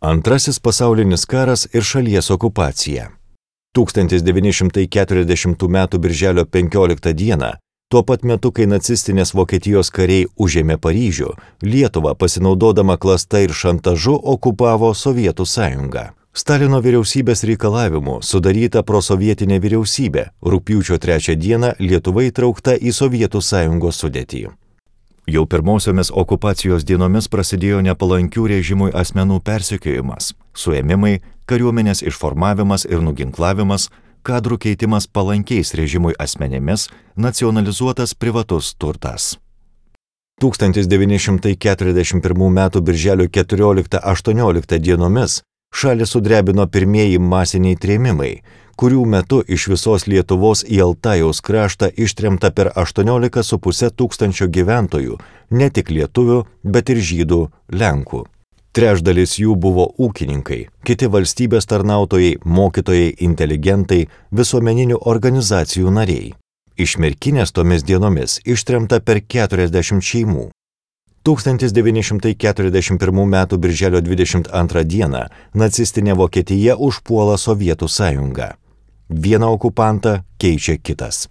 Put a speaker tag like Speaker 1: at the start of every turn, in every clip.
Speaker 1: Antrasis pasaulinis karas ir šalies okupacija. 1940 m. birželio 15 d. tuo pat metu, kai nacistinės Vokietijos kariai užėmė Paryžių, Lietuvą pasinaudodama klasta ir šantažu okupavo Sovietų sąjunga. Stalino vyriausybės reikalavimu sudaryta prosovietinė vyriausybė, rugpjūčio 3 d. Lietuva įtraukta į Sovietų sąjungos sudėtį. Jau pirmosiomis okupacijos dienomis prasidėjo nepalankių režimui asmenų persekiojimas, suėmimai, kariuomenės išformavimas ir nuginklavimas, kadrų keitimas palankiais režimui asmenėmis, nacionalizuotas privatus turtas. 1941 m. birželio 14-18 dienomis šalį sudrebino pirmieji masiniai trėmimai, kurių metu iš visos Lietuvos į Altajaus kraštą ištremta per 18,5 tūkstančio gyventojų, ne tik lietuvių, bet ir žydų, lenkų. Trečdalis jų buvo ūkininkai, kiti valstybės tarnautojai, mokytojai, inteligentai, visuomeninių organizacijų nariai. Iš Merkinės tomis dienomis ištremta per 40 šeimų. 1941 m. birželio 22 d. nacistinė Vokietija užpuola Sovietų sąjungą. Vieną okupantą keičia kitas.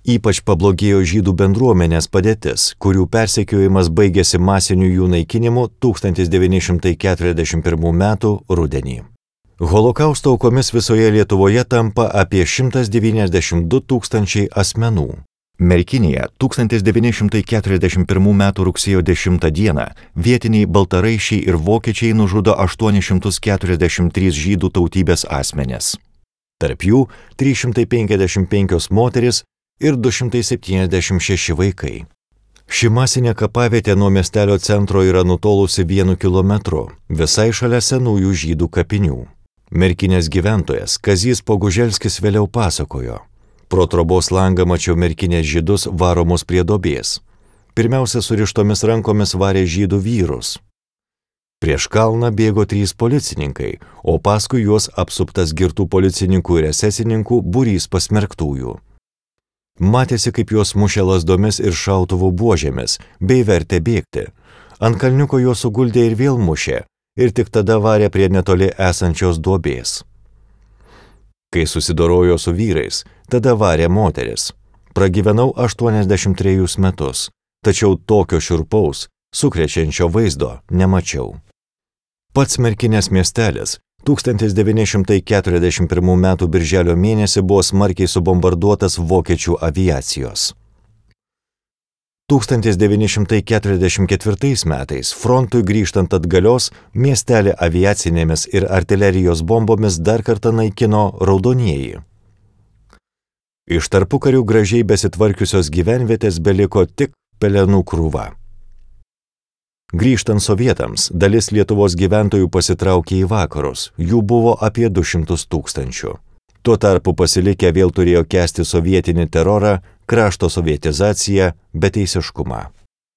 Speaker 1: Ypač pablogėjo žydų bendruomenės padėtis, kurių persekiojimas baigėsi masiniu jų naikinimu 1941 m. rudenį. Holokausto aukomis visoje Lietuvoje tampa apie 192 tūkstančiai asmenų. Merkinėje 1941 m. rugsėjo 10 d. vietiniai baltaraiščiai ir vokiečiai nužudo 843 žydų tautybės asmenis. Tarp jų 355 moteris ir 276 vaikai. Ši masinė kapavietė nuo miestelio centro yra nutolusi 1 kilometru, visai šalia senųjų žydų kapinių. Merkinės gyventojas Kazys Poguželskis vėliau pasakojo: pro trobos langą mačiau Merkinės žydus varomus prie duobės. Pirmiausia, surištomis rankomis varė žydų vyrus. Prieš kalną bėgo 3 policininkai, o paskui juos apsuptas girtų policininkų ir esesininkų būrys pasmerktųjų. Matėsi, kaip juos mušė lazdomis ir šautuvų buožėmis, bei vertė bėgti. Ant kalniuko juos suguldė ir vėl mušė, ir tik tada varė prie netoli esančios duobės. Kai susidorojo su vyrais, tada varė moteris. Pragyvenau 83 metus, tačiau tokio šiurpaus, sukrečiančio vaizdo nemačiau. Pats Merkinės miestelis 1941 m. birželio mėnesį buvo smarkiai subombarduotas vokiečių aviacijos. 1944 metais frontui grįžtant atgalios miestelį aviacinėmis ir artilerijos bombomis dar kartą naikino raudonieji. Iš tarpukarių gražiai besitvarkiusios gyvenvietės beliko tik pelenų krūva. Grįžtant sovietams, dalis Lietuvos gyventojų pasitraukė į vakarus, jų buvo apie 200 tūkstančių. Tuo tarpu pasilikę vėl turėjo kęsti sovietinį terorą, krašto sovietizaciją, beteisiškumą.